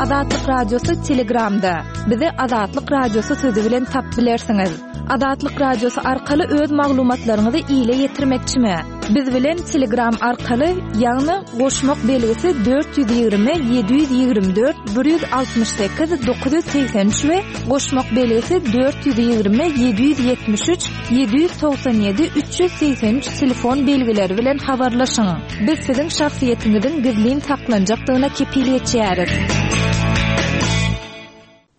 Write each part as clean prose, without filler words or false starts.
Azatlyk Radiosy Telegramda. Bizi Azatlyk Radiosy sözi bilen tapyp bilersiňiz. Azatlyk Radiosy arkaly öz maglumatlaryňyzy ile ýetirmekçimi? Biz bilen Telegram arkaly, ýagny goşmak belgisi 420 724 168 983 we goşmak belgisi 420 773 797 383 telefon belgileri bilen habarlaşyň. Biz siziň şahsyýetiňiziň gizlin saklanjakdygyna kepil geçýäris.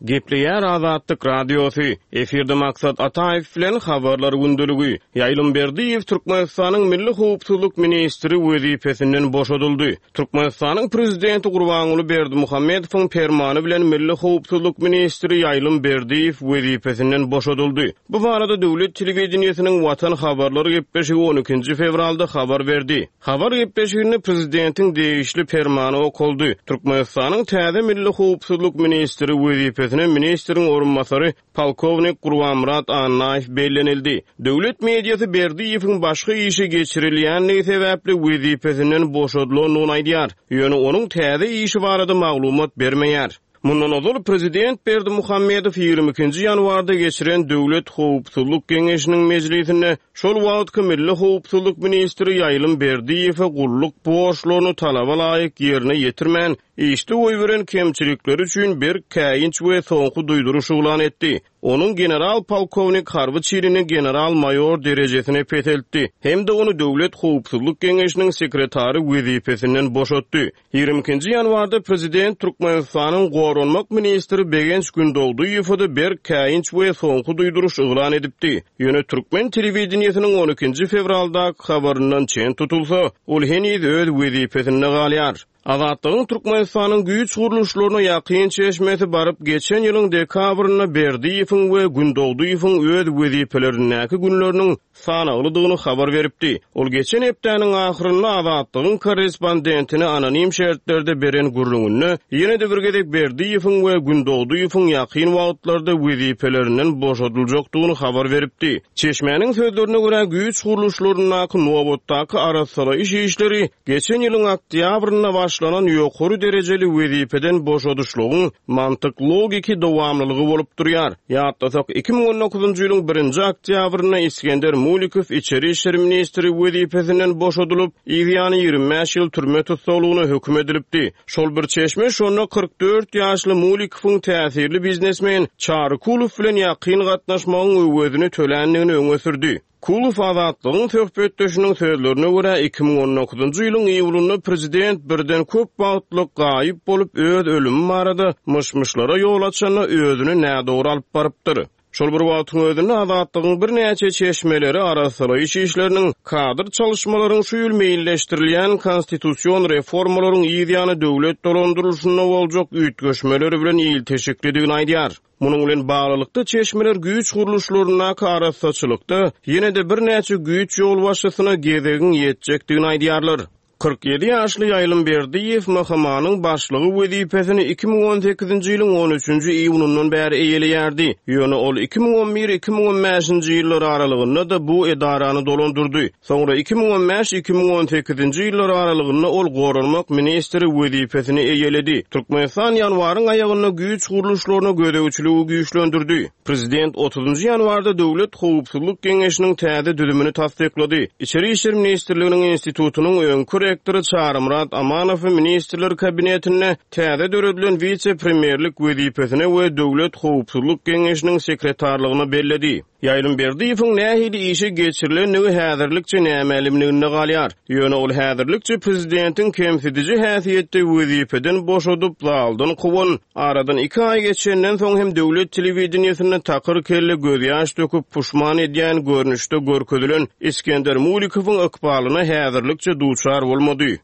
Gepleýär Azatlyk Radiosy, Efirde Maksat Ataýew bilen Habarlar gündeligi. Ýaýlym Berdiýew Türkmenistanyň Milli howpsuzlyk ministri wezipesinden boşadyldy. Türkmenistanyň Prezidenti Gurbanguly Berdimuhamedowyň permany bilen Milli howpsuzlyk ministri Ýaýlym Berdiýew wezipesinden boşadyldy. Bu barada döwlet telewideniýesiniň Watan habarlar gepleşigi on ikinji fewralda habar berdi. Habar gepleşiginde prezidentiň degişli permany okaldy. Türkmenistanyň täze milli howpsuzlyk ministri wezipesine ministriň orunbasary polkownik Gurbanmyrat Annaýew bellenildi. Döwlet mediasy Berdiýewiň başga işe geçirilýändigi sebäpli wezipesinden boşadylandygyny aýdýar, ýöne onuň täze işi barada maglumat bermeýär. Mundan ozal, prezident Berdimuhamedow 22 nji ýanwarda geçiren Döwlet howpsuzlyk geňeşiniň mejlisinde şol wagtky milli howpsuzlyk ministri Ýaýlym Berdiýewe gulluk borçlaryny talaba laýyk ýerine ýetirmän, işde goýberen kemçilikleri üçin berk käýinç we soňky duýduryş yglan etdi. Onuň general-polkownik harby çinini general-maýor derejesine peseltdi hem-de ony Döwlet howpsuzlyk geňeşiniň sekretary wezipesinden boşatdy. 22-nji ýanwarda prezident Türkmenistanyň goranmak ministri Begenç Gündogdyýewe-de berk käýinç we soňky duýduryş yglan edipdi. Ýöne türkmen telewideniýesiniň on ikinji fewraldaky habaryndan çen tutulsa, ol heniz öz wezipesinde galýar. Azatlygyň Türkmenistanyň güýç gurluşlaryna ýakyn çeşmesi baryp geçen ýylyň dekabrynda Berdiýewiň we Gündogdyýewiň öz wezipelerindäki günleriniň sanaglydygyny habar beripdi. Ol geçen hepdäniň ahyrynda Azatlygyň korrespondentine anonim şertlerde beren gürrüňinde ýene-de bir gezek Berdiýewiň we Gündogdyýewiň ýakyn wagtlarda wezipelerinden boşadyljakdygyny habar beripdi. Çeşmäniň sözlerine görä, güýç gurluşlaryndaky nobatdaky arassalaýyş işleri Geçen ýylyň oktýabrynda başlanan ýokary derejeli wezipeden boşadyşlygyň mantyk-logiki dowamlylygy bolup durýar. Ýatlasak, 2019-njy ýylyň birinji oktýabrynda Isgender Mulikow içeri işler ministri wezipesinden boşadylyp, yzýany 25 ýyl türme tussaglygyna höküm edilipdi. Şol bir çeşme şonda 44 ýaşly Mulikowyň täsirli biznesmen Çary Kulow bilen ýakyn gatnaşmagyň öwezini töländigini öňe sürdi. Kulow Azatlygyň söhbetdeşiniň sözlerine görä, 2019-njy ýylyň iýulynda prezident birden köp wagtlyk gaýyp bolup, öz ölümi barada myş-myşlara ýol açanda özüni nädogry alyp barypdyr. Şol bir wagtyň özünde Azatlygyň birnäçe çeşmeleri arassalaýyş işleriniň, kadr çalyşmalaryň şu ýyl meýilleşdirilýän konstitusion reformalaryň yzýany döwlet dolandyrylyşynda boljak üýtgeşmeler bilen ilteşiklidigini aýdýar. Munuň bilen baglylykda, çeşmeler güýç gurluşlaryndaky arassaçylykda ýene-de birnäçe güýç ýolbaşçysyna gezegiň ýetjekdigini aýdýarlar. 47 ýaşly Ýaýlym Berdiýew MHM-niň başlygy wezipesini 2018-nji ýylyň on üçünji iýunyndan bäri eýeleýärdi. Ýöne ol 2011, 2015-nji ýyllar aralygynda-da bu edarany dolandyrdy. Soňra 2015, 2018-nji ýyllar aralygynda ol goranmak ministri wezipesini eýeledi. Türkmenistan ýanwaryň aýagynda güýç gurluşlaryna gözegçiligi güýçlendirdi. Prezident otuzynjy ýanwarda Döwlet howpsuzlyk geňeşiniň täze düzümini tassyklady. Içeri işler ministrliginiň institutynyň öňki rektory Çarymyrat Amanowy Ministrler Kabinetinde täze döredilen wise-premýerlik wezipesine we Döwlet howpsuzlyk geňeşiniň sekretarlygyna belledi. Ýaýlym Berdiýewiň nähili işe geçirilendigi häzirlikçe nämälimliginde galýar. Ýöne ol häzirlikçe prezidentiň kemsidiji häsiýetde wezipeden boşadyp, zaldan kowan, aradan iki aý geçenden soň hem döwlet telewideniýesinde takyr kelle gözýaş döküp puşman edýän görnüşde görkezilen Isgender Mulikowyň ykbalyna häzirlikçe duçar bolmady.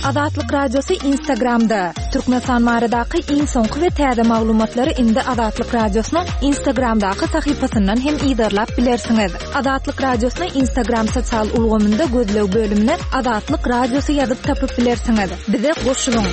Azatlyk Radiosy Instagramda, Türkmenistan baradaky iň soňky we täze maglumatlary indi Azatlyk Radiosynyň Instagramdaky sahypasyndan hem yzarlap bilersiňiz. Azatlyk Radiosyny Instagram sosial ulgamynda gözleg bölümine Azatlyk Radiosy ýazyp tapyp bilersiňiz. Bize goşulyň!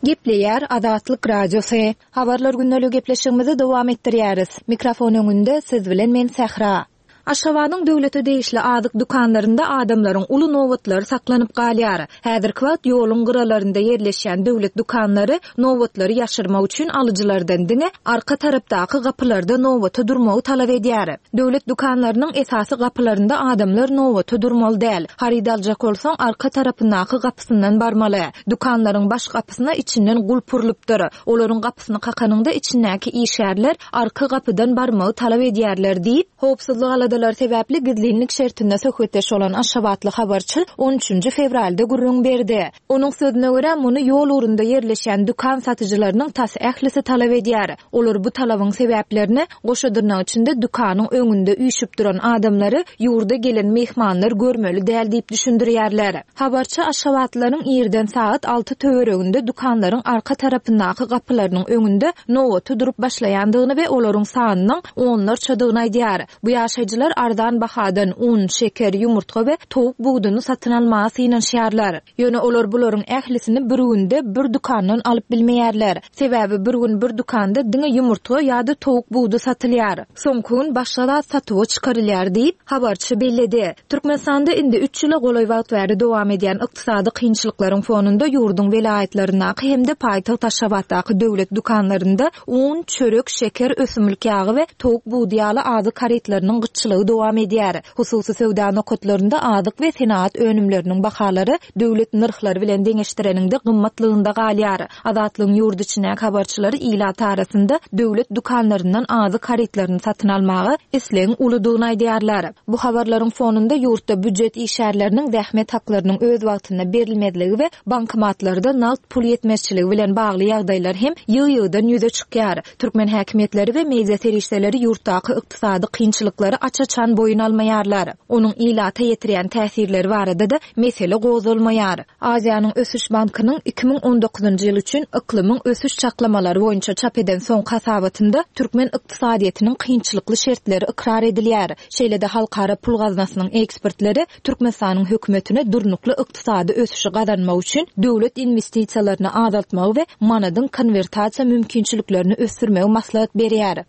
Gepleýär Azatlyk Radiosy. Habarlar gündeligi gepleşigimizi dowam etdirýäris. Mikrofon öňünde siz bilen men Sähra. Aşgabadyň döwlete degişli azyk dükanlarynda adamlaryň uly nobatlary saklanyp galýar. Häzirki wagt ýoluň gyralarynda ýerleşýän döwlet dükanlary nobatlary ýaşyrmak üçin alyjylardan diňe arka tarapdaky gapylarda nobata durmagy talap edýär. Döwlet dükanlarynyň esasy gapylarynda adamlar nobata durmaly däl. Haryt aljak bolsaň, arka tarapyndaky gapysyndan barmaly. Dükanlaryň baş gapysyna içinden gulp urlupdyr. Olaryň gapysyny kakanyňda içindäki işgärler arka gapydan barmagy talap edýärler diýip, howpsuzlyk aladalary sebäpli gizlinlik şertinde söhbetdeş bolan aşgabatly habarçy on üçünji fewralda gürrüň berdi. Onuň sözüne görä, muny ýol ugrunda ýerleşýän dükan satyjylarynyň tas ählisi talap edýär. Olar bu talabyň sebäplerini, goşa dyrnak içinde dükanyň öňünde üýşüp duran adamlary ýurda gelen myhmanlar görmeli däl diýip düşündirýärler. Habarçy aşgabatlylaryň irden sagat alty töwereginde dükanlaryň arka tarapyndaky gapylarynyň öňünde nobata durup başlaýandygyny we olaryň sanynyň onlarçadygyny aýdýar. Bu ýaşaýjylar arzan bahadan un, şeker, ýumurtga we towuk buduny satyn almaga synanyşýarlar. Ýöne olar bularyň ählisini bir günde bir dükandan alyp bilmeýärler. Sebäbi bir gün bir dükanda diňe ýumurtga ýa-da towuk budy satylýar. Soňky gün başga zat satuwa çykarylýar diýip, habarçy belledi. Türkmenistanda indi üç ýyla golaý wagt bäri dowam edýän ykdysady kynçylyklaryň fonunda ýurduň welaýatlaryndaky hem-de paýtagt Aşgabatdaky döwlet dükanlarynda un, çörek, şeker, ösümlik ýagy we towuk budy ýaly azyk harytlarynyň gytçylygy dowam edýär. Hususy söwda nokatlarynda azyk we senagat önümleriniň bahalary döwlet nyrhlary bilen deňeşdireniňde gymmatlygynda galýar. Azatlygyň ýurt içindäki habarçylary ilat arasynda döwlet dükanlaryndan azyk harytlaryny satyn almaga islegiň uludygyny aýdýarlar. Bu habarlaryň fonunda ýurtda býujet işgärleriniň zähmet haklarynyň öz wagtynda berilmezligi we bankomatlarda nagt pul ýetmezçiligi bilen bagly ýagdaýlar hem ýygy-ýygydan ýüze çykýar. Türkmen häkimiýetleri we media serişdeleri ýurtdaky ykdysady kynçylyklary aç-açan boýun almaýarlar. Onuň ilata ýetirýän täsirleri barada-da mesele gozgalmaýar. Aziýanyň Ösüş bankynyň 2019-njy ýyl üçin yklymyň ösüş çaklamalary boýunça çap eden soňky hasabatynda türkmen ykdysadyýetiniň kynçylykly şertleri ykrar edilýär. Şeýle-de Halkara pul gaznasynyň ekspertleri Türkmenistanyň hökümetine durnukly ykdysady ösüşi gazanmak üçin döwlet inwestisiýalaryny azaltmagy we manadyň konwertasiýa mümkinçiliklerini ösdürmegi maslahat berýär.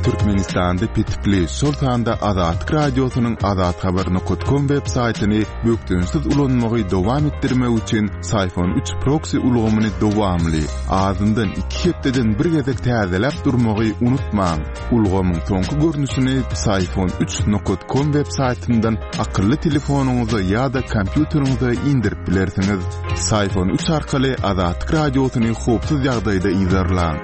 Türkmenistanda petikli, şol sanda Azatlyk Radiosynyň azathabar nokat kom web saýtyny bökdençsiz ulanmagy dowam etdirmek üçin Syfon üç proksi ulgamyny dowamly, azyndan iki hepdeden bir gezek täzeläp durmagy unutmaň. Ulgamyň soňky görnüşini Syfon üç nokat kom web saýtyndan akylly telefonyňyza ýa-da kompýuteriňize indirip bilersiňiz. Syfon üç arkaly Azatlyk Radiosyny howpsuz ýagdaýda yzarlaň.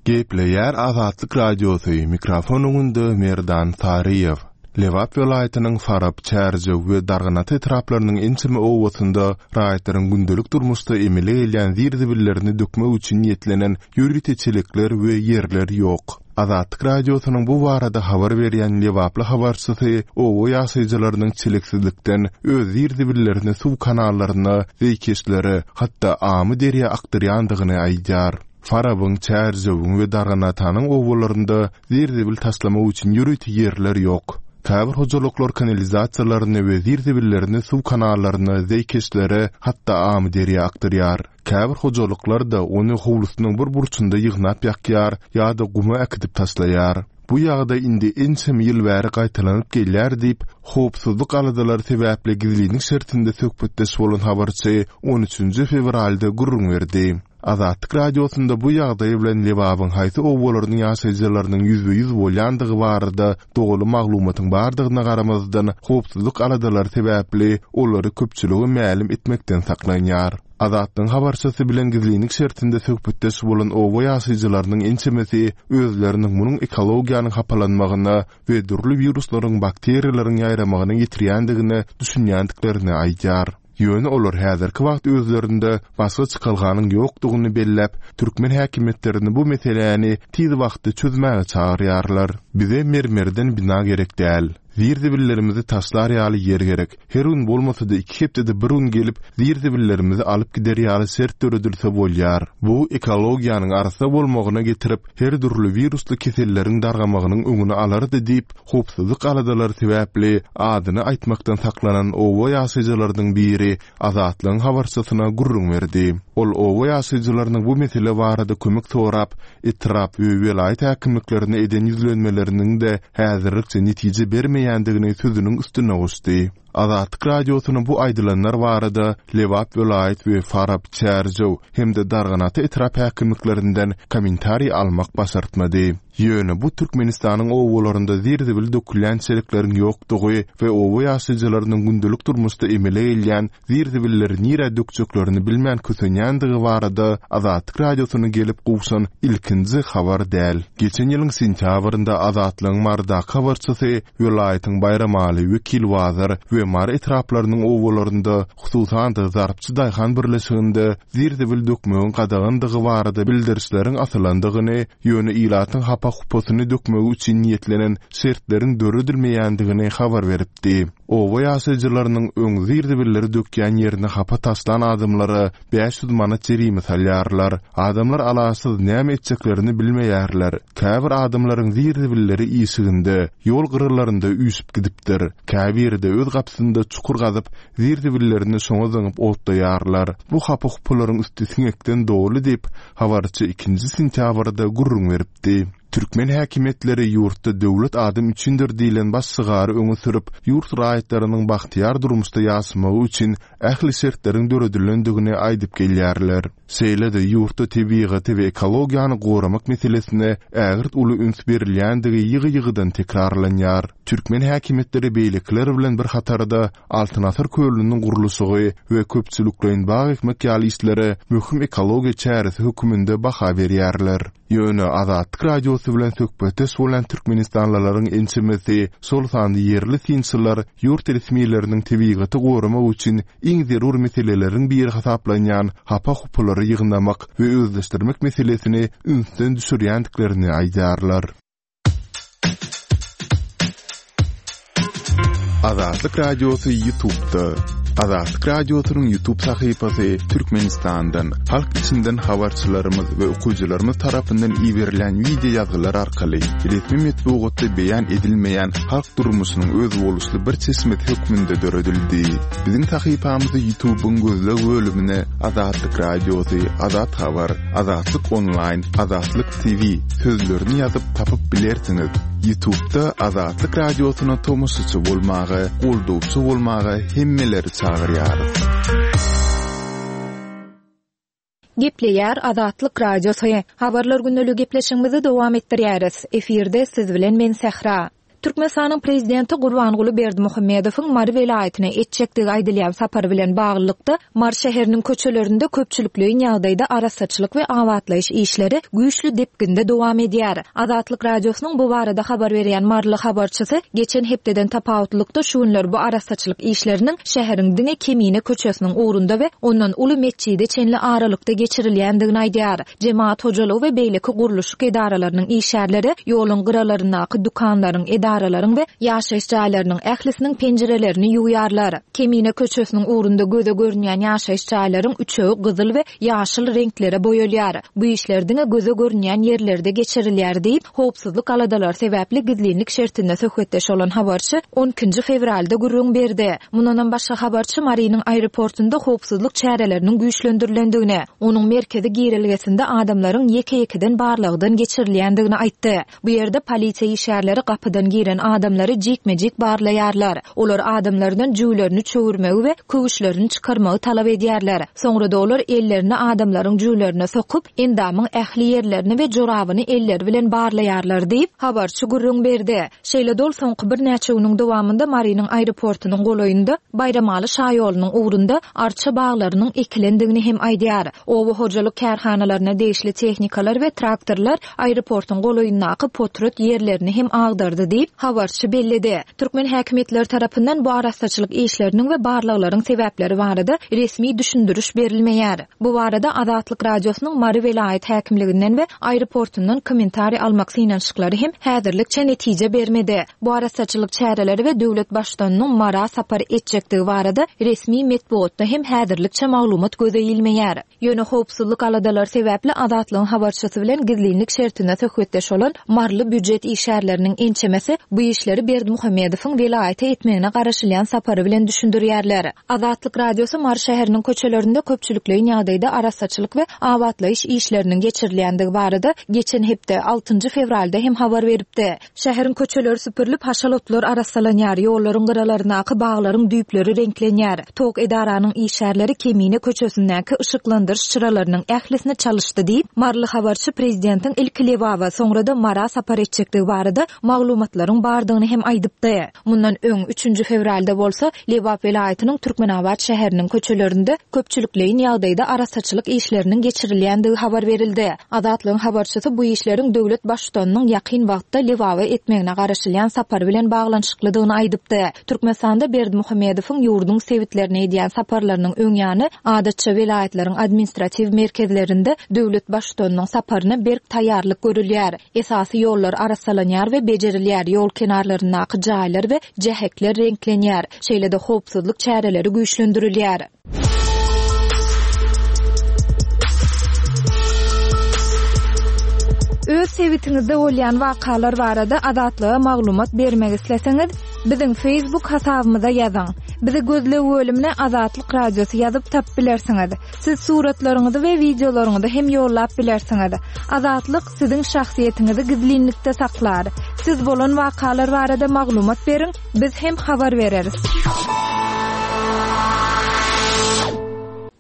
Gepleýär Azatlyk Radiosy, mikrofon öňünde Merdan Saryýew. Lebap welaýatynyň Farap, Çärjew we Darganata etraplarynyň ençeme obasynda raýatlaryň gündelik durmuşda emele gelýän zir-zibillerini dökmek üçin niýetlenen ýörite çelekler we ýerler ýok. Azatlyk Radiosynyň bu barada habar berýän lebaply habarçysy oba ýaşaýjylarynyň çeleksizlikden öz zir-zibillerini suw kanallaryna, zeýkeşlere, hatda Amyderýa akdyrýandygyny aýdýar. Farabyň, Çärjewiň we Darganatanyň obalarynda zir-zibil taşlamak üçin ýörite ýerler ýok. Käbir hojalyklar kanalizasiýalaryny we zir-zibillerini suw kanallaryna, zeýkeşlere, hatda Amyderýa akdyrýar. Käbir hojalyklar-da ony howlusynyň bir burçunda ýygnap ýakýar ýa-da guma äkidip taşlaýar. Bu ýagdaý indi ençeme ýyl bäri gaýtalanyp gelýär diýip, howpsuzlyk aladalary sebäpli gizlinlik şertinde söhbetdeş bolan habarçy on üçünji fewralda gürrüň berdi. Azatlyk Radiosynda bu ýagdaý bilen Lebabyň haýsy obalarynyň ýaşaýjylarynyň ýüzbe-ýüz bolýandygy barada doly maglumatyň bardygyna garamazdan, howpsuzlyk aladalary sebäpli olary köpçülige mälim etmekden saklanýar. Azatlygyň habarçysy bilen gizlinlik şertinde söhbetdeş bolan oba ýaşaýjylarynyň ençemesi özleriniň munuň ekologiýanyň hapalanmagyna we dürli wiruslaryň, bakteriýalaryň ýaýramagyna getirýändigine düşünýändiklerini aýdýar. Ýöne olar häzirki wagt özlerinde başga çykalganyň ýokdugyny belläp, türkmen häkimiýetlerini bu meseläni tiz wagtda çözmäge çagyrýarlar. Bize mermerden bina gerek däl. Zir-zibillerimizi taşlar ýaly ýer gerek. Her gün bolmasa-da iki hepdede bir gün gelip, zir-zibillerimizi alyp gider ýaly şert döredilse bolýar. Bu ekologiýanyň arassa bolmagyna getirip, her dürli wirusly keselleriň dargamagynyň öňüni alardy diýip, howpsuzlyk aladalary sebäpli adyny aýtmakdan saklanan oba ýaşaýjylarynyň biri Azatlygyň habarçysyna gürrüň berdi. Ol oba ýaşaýjylarynyň bu mesele barada kömek sorap, etrap we welaýat häkimliklerine eden ýüzlenmeleriniň-de häzirlikçe netije bermeýändigini sözüniň üstüne goşdy. Azatlyk Radiosyna bu aýdylanlar barada Lebap welaýat we Farap, Çärjew hem-de Darganata etrap häkimliklerinden kommentariý almak başartmady. Ýöne bu Türkmenistanyň obalarynda zir-zibil dökülýän çelekleriň ýokdugy we oba ýaşaýjylarynyň gündelik durmuşda emele gelýän zir-zibilleri nirä dökjeklerini bilmän kösenýändigi barada Azatlyk Radiosyna gelip gowşan ilkinji habar däl. Geçen ýylyň sentýabrynda Azatlygyň Marydaky habarçysy welaýatyň Baýramaly, Wekilbazar we Mary etraplarynyň obalarynda, hususan-da Zarpçy daýhan birleşiginde zir-zibil dökmegiň gadagandygy barada bildirişleriň asylandygyny, ýöne ilatyň hapa-hupasyny dökmegi üçin niýetlenen şertleriň döredilmeýändigini habar beripdi. Oba ýaşaýjylarynyň öň zir-zibilleri dökýän ýerine hapa taşlan adamlara 500 manat jerime salýarlar. Adamlar alaçsyz näme etjeklerini bilmeýärler. Käbir adamlaryň zir-zibilleri işiginde, ýol gyralarynda üýşüp gidipdir. Käbiri-de öz gapysynda çukur gazyp, zir-zibillerini şoňa zyňyp otlaýarlar. Bu hapa-hupalaryň üsti siňekden doly diýip, habarçy ikinji sentýabrda gürrüň beripdi. Türkmen häkimiýetleri ýurtda Döwlet adam üçindir diýlen baş şygary öňe sürüp, ýurt raýatlarynyň bagtyýar durmuşda ýaşamagy üçin ähli şertleriň döredilendigini aýdyp gelýärler. Şeýle-de ýurtda tebigaty we ekologiýany goramak meselesine ägirt uly üns berilýändigi ýygy-ýygydan tekrarlanýar. Türkmen häkimiýetleri beýlekiler bilen bir hatarda Altyn asyr kölüniň gurluşygy we köpçülikleýin bag ekmek ýaly işlere möhüm ekologiýa çäresi höküminde baha berýärler. Ýöne Azatlyk Radiosy bilen söhbetdeş bolan türkmenistanlylaryň ençemesi, şol sanda ýerli synçylar ýurt resmileriniň tebigaty goramak üçin iň zerur meseleleriň biri hasaplanýan hapa-hupalary ýygnamak we özleşdirmek meselesini ünsden düşürýändiklerini aýdýarlar. Azatlyk Radiosy YouTube'da. Azatlyk Radiosynyň YouTube sahypasy Türkmenistandan, halk içinden habarçylarymyz we okyjylarymyz tarapyndan iberilýän wideo ýazgylar arkaly resmi metbugatda beýan edilmeýän halk durmuşynyň özboluşly bir çeşmesi hökmünde döredildi. Biziň sahypamyzy YouTube'yň gözleg bölümine Azatlyk Radiosy, Azat Habar, Azatlyk Onlaýn, Azatlyk TV sözlerini ýazyp tapyp bilersiňiz. Ýutubda Azatlyk Radiosyna tomaşaçy bolmaga, goldawçy bolmaga hemmeleri çagyrýarys. Gepleýär Azatlyk Radiosy. Habarlar gündeligi gepleşigimizi dowam etdirýäris. Efirde siz bilen men Sähra. Türkmenistanyň Prezidenti Gurbanguly Berdimuhamedowyň Mary welaýatyna etjekdigi aýdylýan sapary bilen baglylykda, Mary şäheriniň köçelerinde köpçülikleýin ýagdaýda arassaçylyk we abatlaýyş işleri güýçli depginde dowam edýär. Azatlyk Radiosynyň bu barada habar berýän maryly habarçysy geçen hepdeden tapawutlylykda şu günler bu arassaçylyk işleriniň şäheriň diňe Kemine köçesiniň ugrunda we ondan uly metjide çenli aralykda geçirilýändigini aýdýar. Jemagat hojalygy we beýleki gurluşyk edaralarynyň işgärleri ýoluň gyralaryndaky dükanlaryň, edaralaryň we ýaşaýyş jaýlarynyň ählisiniň penjirelerini ýuwýarlar. Kemine köçesiniň ugrunda göze görünýän ýaşaýyş jaýlaryň üçegi gyzyl we ýaşyl reňklere boýalýar. Bu işler diňe göze görünýän ýerlerde geçirilýär diýip, howpsuzlyk aladalary sebäpli gizlinlik şertinde söhbetdeş bolan habarçy on ikinji fewralda gürrüň berdi. Mundanam başga habarçy Marynyň aeroportunda howpsuzlyk çäreleriniň güýçlendirilendigini, onuň merkezi girelgesinde adamlaryň ýeke-ýekeden barlagdan geçirilýändigini aýtdy. Bu ýerde polisiýa işgärleri gapydan giren adamlary jikme-jik barlaýarlar. Olar adamlardan jübülerini çöwürmegi we köwüşlerini çykarmagy talap edýärler. Soňra-da olar ellerini adamlaryň jübülerine sokup, endamyň ähli ýerlerini we jorabyny elleri bilen barlaýarlar diýip, habarçy gürrüň berdi. Şeýle-de ol soňky birnäçe günüň dowamynda Marynyň aeroportunyň golaýynda Baýramaly şaýolunyň ugrunda arça baglarynyň ekilendigini hem aýdýar. Oba hojalyk kärhanalaryna degişli tehnikalar we traktorlar aeroportuň golaýyndaky potrat ýerlerini hem agdardy diýip, habarçy belledi. Türkmen häkimiýetleri tarapyndan bu arassaçylyk işleriniň we barlaglaryň sebäpleri barada resmi düşündiriş berilmeýär. Bu barada Azatlyk Radiosynyň Mary welaýat häkimliginden we aeroportundan kommentariý almak synanyşyklary hem häzirlikçe netije bermedi. Bu arassaçylyk çäreleri we döwlet Baştutanynyň Mara sapar etjekdigi barada resmi metbugatda hem häzirlikçe maglumat göze ilmeýär. Ýöne howpsuzlyk aladalary sebäpli Azatlygyň habarçysy bilen gizlinlik şertinde söhbetdeş bolan maryly býujet işgärleriniň ençemesi bu işleri Berdimuhamedowyň welaýata etmegine garaşylýan sapary bilen düşündirýärler. Azatlyk Radiosy Mary şäheriniň köçelerinde köpçülikleýin ýagdaýda arassaçylyk we abatlaýyş işleriniň geçirilýändigi barada geçen hepde, altynjy fewralda hem habar beripdi. Şäheriň köçeleri süpürilip, haşal otlar arassalanýar, ýollaryň gyralaryndaky baglaryň düýpleri reňklenýär. Tok edaranyň işgärleri Kemine köçesindäki yşyklandyryş çyralarynyň ählisini çalyşdy diýip, maryly habarçy prezidentiň ilki Lebaba, soňra-da Mara sapar etjekdigi barada maglumatlaryň bardygyny hem aýdypdy. Mundan öň, üçünji fewralda bolsa, Lebap welaýatynyň Türkmenabat şäheriniň köçelerinde köpçülikleýin ýagdaýda arassaçylyk işleriniň geçirilýändigi habar berildi. Azatlygyň habarçysy bu işleriň döwlet Baştutanynyň ýakyn wagtda Lebaba etmegine garaşylýan sapary bilen baglanyşyklydygyny aýdypdy. Türkmenistanda Berdimuhamedowyň ýurduň sebitlerine edýän saparlarynyň öň ýany, adatça welaýatlaryň administratiw merkezlerinde döwlet Baştutanynyň saparyna berk taýýarlyk görülýär. Esasy ýollar arassalanýar we bejerilýär, ýol kenarlaryndaky jaýlar we jähekler reňklenýär, şeýle-de howpsuzlyk çäreleri güýçlendirilýär. Öz sebitiňizde bolýan wakalar barada Azatlyga maglumat bermek isleseňiz, biziň Facebook hasabymyza ýazyň. Bizi gözleg bölümine Azatlyk Radiosy ýazyp tapyp bilersiňiz. Siz suratlaryňyzy we wideolaryňyzy hem ýollap bilersiňiz. Azatlyk siziň şahsyýetiňizi gizlinlikde saklar. Siz bolan wakalar barada maglumat beriň, biz hem habar bereris.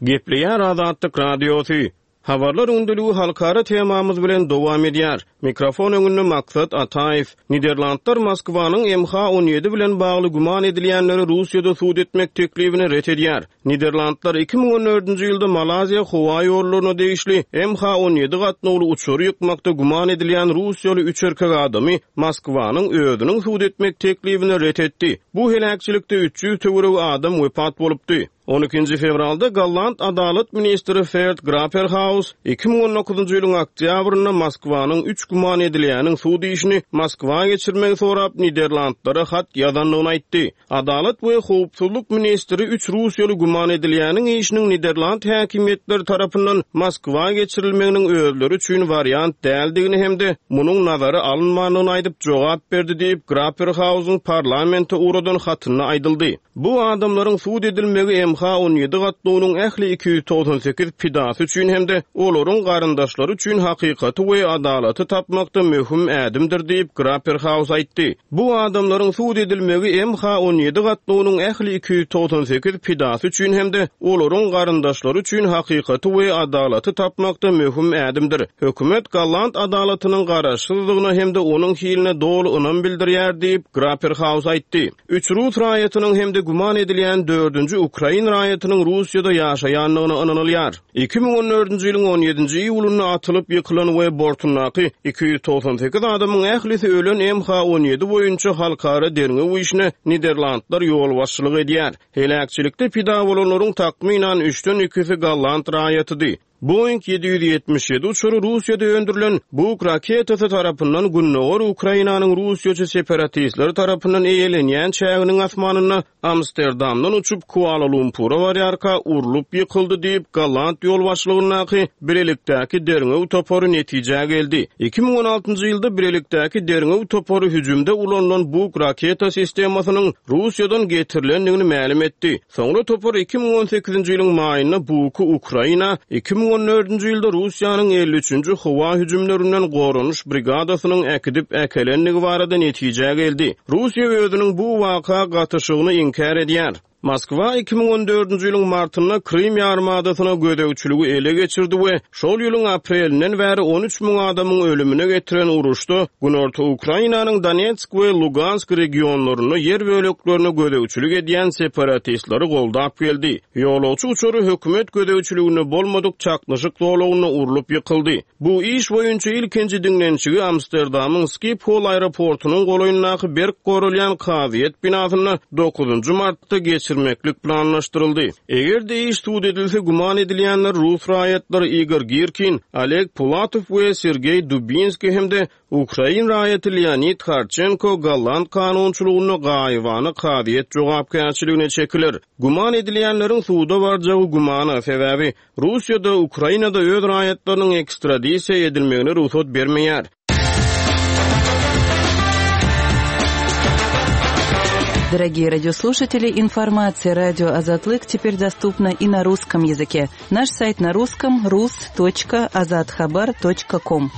Gepleýär Azatlyk Radiosy. Habarlar gündeligi halkara temamyz bilen dowam edýär. Mikrofon öňünde Maksat Ataýew. Niderlandlar Moskwanyň MH 17 bilen bagly güman edilýänleri Russiýada sud etmek teklibini ret edýär. Niderlandlar 2014-nji ýylda Malaýziýa howa ýollaryna degişli MH 17 gatnawly uçary ýykmakda güman edilýän russiýaly üç erkek adamy Moskwanyň özüniň sud etmek teklibini ret etdi. Bu heläkçilikde 300 töweregi adam wepat bolupdy. On ikinji fewralda golland adalat ministri Ferd Grapperhaus 2019-njy ýylyň oktýabrynda Moskwanyň üç güman edilýäniň sud işini Moskwa geçirmegi sorap Niderlandlara hat ýazandygyny aýtdy. Adalat we howpsuzlyk ministri üç russiýaly güman edilýäniň işiniň niderland häkimiýetleri tarapyndan Moskwa geçirilmeginiň özleri üçin wariant däldigini hem-de munuň nazara alynmandygyny aýdyp jogap berdi diýip, Grapperhausyň parlamente ugradan hatynda aýdyldy. Bu adamlaryň sud edilmegi MH 17 gatnawynyň ähli 298 pidasy üçin hem-de olaryň garyndaşlary üçin hakykaty we adalaty tapmakda möhüm ädimdir diýip, Grapperhaus aýtdy. Bu adamlaryň sud edilmegi MH 17 gatnawynyň ähli 298 pidasy üçin hem-de olaryň garyndaşlary üçin hakykaty we adalaty tapmakda möhüm ädimdir. Hökümet golland adalatynyň garaşsyzdygyna hem-de onuň hiline doly ynam bildirýär diýip, Grapperhaus aýtdy. Üç rus raýatynyň hem-de güman edilýän dördünji ukrain raýatynyň Russiýada ýaşaýandygyna ynanylýar. 2014-nji ýylyň on ýedinji iýulynda atylyp ýykylan we bortundaky 298 adamyň ählisi ölen MH 17 boýunça halkara derňew işine Niderlandlar ýolbaşçylyk edýär. Heläkçilikde pida bolanlaryň takmynan üçden ikisi golland raýatydy. Boeing 777 uçary Russiýada öndürilen Buk raketasy tarapyndan gündogar Ukrainanyň russiýaçy separatistleri tarapyndan eýelenýän çäginiň asmanynda Amsterdamdan uçup Kuala-Lumpura barýarka urlup ýykyldy diýip, golland ýolbaşçylygyndaky bilelikdäki derňew topary netijä geldi. 2016-njy ýylda bilelikdäki derňew topary hüjümde ulanylan Buk raketa sistemasynyň Russiýadan getirilendigini mälim etdi. Soňra topar 2018-nji ýylyň maýynda Buky Ukraina, 2014-nji ýylda Russiýanyň 53-nji howa hüjümlerinden goranyş brigadasynyň äkidip äkelendigi barada netijä geldi. Russiýa özüniň bu waka gatyşygyny inkär edýär. Moskwa 2014-nji ýylyň martynda Krym ýarymadasyna gözegçiligi ele geçirdi we şol ýylyň aprelinden bäri 13 müň adamyň ölümine getiren uruşda günorta Ukrainanyň Donetsk we Lugansk regionlarynda ýer böleklerine gözegçilik edýän separatistleri goldap geldi. Ýolagçy uçary hökümet gözegçiliginde bolmadyk çaknyşyk zolagynda urlup ýykyldy. Bu iş boýunça ilkinji diňlenişigi Amsterdamyň Skiphol aeroportunyň golaýyndaky berk goralýan kazyýet binasynda dokuzynjy martda geçirmeklik planlaşdyryldy. Eger-de iş sud edilse, güman edilýänler rus raýatlary Igor Girkin, Oleg Pulatow we Sergeý Dubinskiý hem-de Ukrain raýaty Leonid Harçenko golland kanunçylygynda gaýybana kazyýet jogapkärçiligine çekiler. Güman edilýänleriň suda barjagy gümana, sebäbi Russiýada Ukrainada öz raýatlarynyň ekstradisiýa edilmegine rugsat bermeýär. Дорогие радиослушатели, информация радио Азатлык теперь доступна и на русском языке. Наш сайт на русском rus.azathabar.com.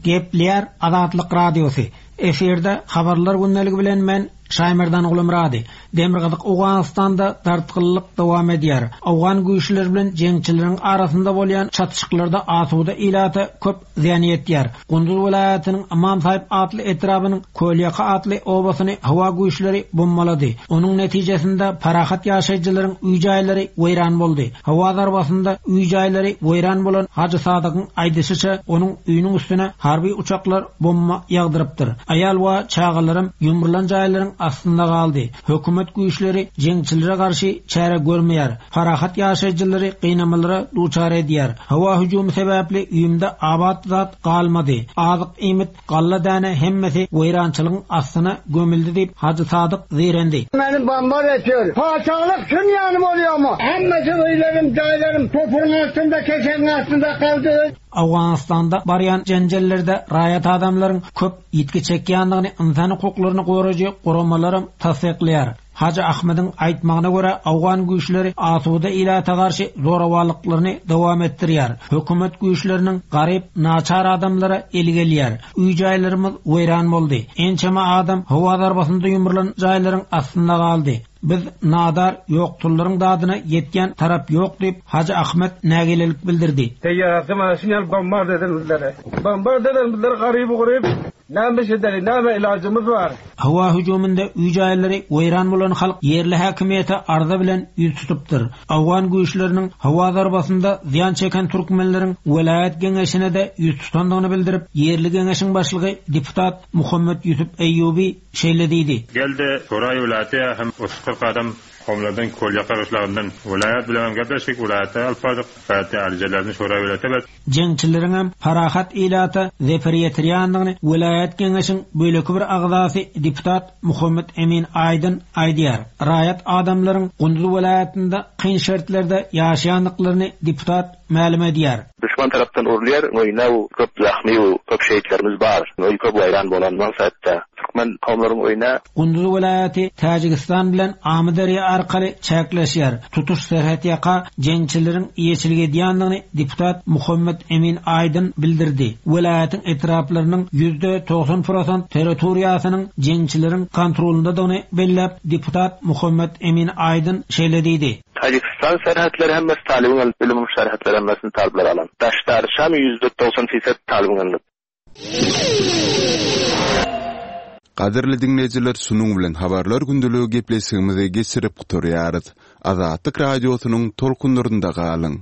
Gepleýär Azatlyk Radiosy. Efirde Habarlar gündeligi bilen men Şaýmerdan Gulumyrady. Demirgazyk Owganystanda dartgynlyk dowam edýär. Owgan güýçleri bilen jeňçileriň arasynda bolýan çatyşyklarda asuda ilata köp zyýan ýetýär. Gunduz welaýatynyň Ymam Saýyp atly etrabynyň Kölýaka atly obasyny howa güýçleri bombalady. Onuň netijesinde parahat ýaşaýjylaryň öý-jaýlary weýran boldy. Howa zarbasynda öý-jaýlary weýran bolan Hajy Sadygyň aýdyşyça, onuň öýüniň üstüne harby uçaklar bomba ýagdyrypdyr. Aýal we çagalaram ýumrulan jaýlaryň astynda galdy. Hökümet güýçleri jeňçilere garşy çäre görmeýär. Parahat ýaşaýjylary gynamalara duçar edýär. Howa hüjümi sebäpli öýümde abat zat galmady. Azyk-iýmit, galla däne hemmesi weýrançylygyň astyna gömüldi diýip, Hajy Sadyk zeýrendi. Meni bombar etýär. Patyşalyk şun ýaly bolýarmy? Hemmesi öýlerim, jaýlarym topragyň astynda, kesegiň astynda galdy. Owganystanda barýan jenjellerde raýat adamlaryň köp ýitgi çekýändigini ynsan hukuklaryny goraýjy guramalaram tassyklaýar. Hajy Ahmediň aýtmagyna görä, owgan güýçleri asuda ilata garşy zorawanlyklaryny dowam etdirýär. Hökümet güýçleriniň garyp, naçar adamlara eli gelýär. Öý-jaýlarymyz weýran boldy. Ençeme adam howa zarbasynda ýumrulan jaýlaryň astynda galdy. Biz nadar, ýoksullaryň dadyna ýetýän tarap ýok diýip, Hajy Ahmet nägilelik bildirdi. Teýýarasy mana şuny ýaly bombard eden bizleri. Bombard eden bizleri garyby-guryp. Näme iş edeli, näme ilajymyz bar? Howa hüjüminde öý-jaýlary weýran bolan halk ýerli häkimiýete arza bilen ýüz tutupdyr. Owgan güýçleriniň howa zarbasynda zyýan çeken türkmenleriň welaýat geňeşine-de ýüz tutandygyny bildirip, ýerli geňeşiň başlygy deputat Muhammet Ýusup Eýýubi şeýle diýdi. Geldi, Soraý welaýaty hem 30-40 adam Homlardan Kölýaka gyşlagyndan welaýat bilenem gepleşdik, welaýata alyp bardyk, welaýatda alyjalaryny Soraý welaýata berdik. Jeňçileriňem parahat ilata zeper ýetirýändigini welaýat geňeşiň beýleki bir agzasy deputat Muhammet Emin Aýdyn aýdýar. Raýat adamlaryň Gunduz welaýatynda kyn şertlerde ýaşaýandyklaryny deputat mälim edýär. Duşman tarapdan urulýar, öýüne köp zahmy köp şehitlerimiz bar. Öý köp weýran bolan maksatda türkmen kowumlaryň öýüne. Gunduz welaýaty Täjigistan bilen Amyderýa arkaly çäkleşýär. Tutuş serhetýaka jeňçileriň eýeçilik edýändigini deputat Muhammet Emin Aýdyn bildirdi. Welaýatyň etraplarynyň 90% prosent territoriýasynyň jeňçileriň kontrolyndadygyny belläp, deputat Muhammet Emin Aýdyn şeýle diýdi. Täjigistan serhetleri hemmesi talybyň elinde, ölüm serhetleri hemmesini talyplar alan. Daşdarçam 90% fisat talybyň elinde. Gadyrly diňleýjiler şunuň bilen habarlar gündeligi gepleşigimizi geçirip gutarýarys. Azatlyk Radiosynyň tolkunlarynda galyň.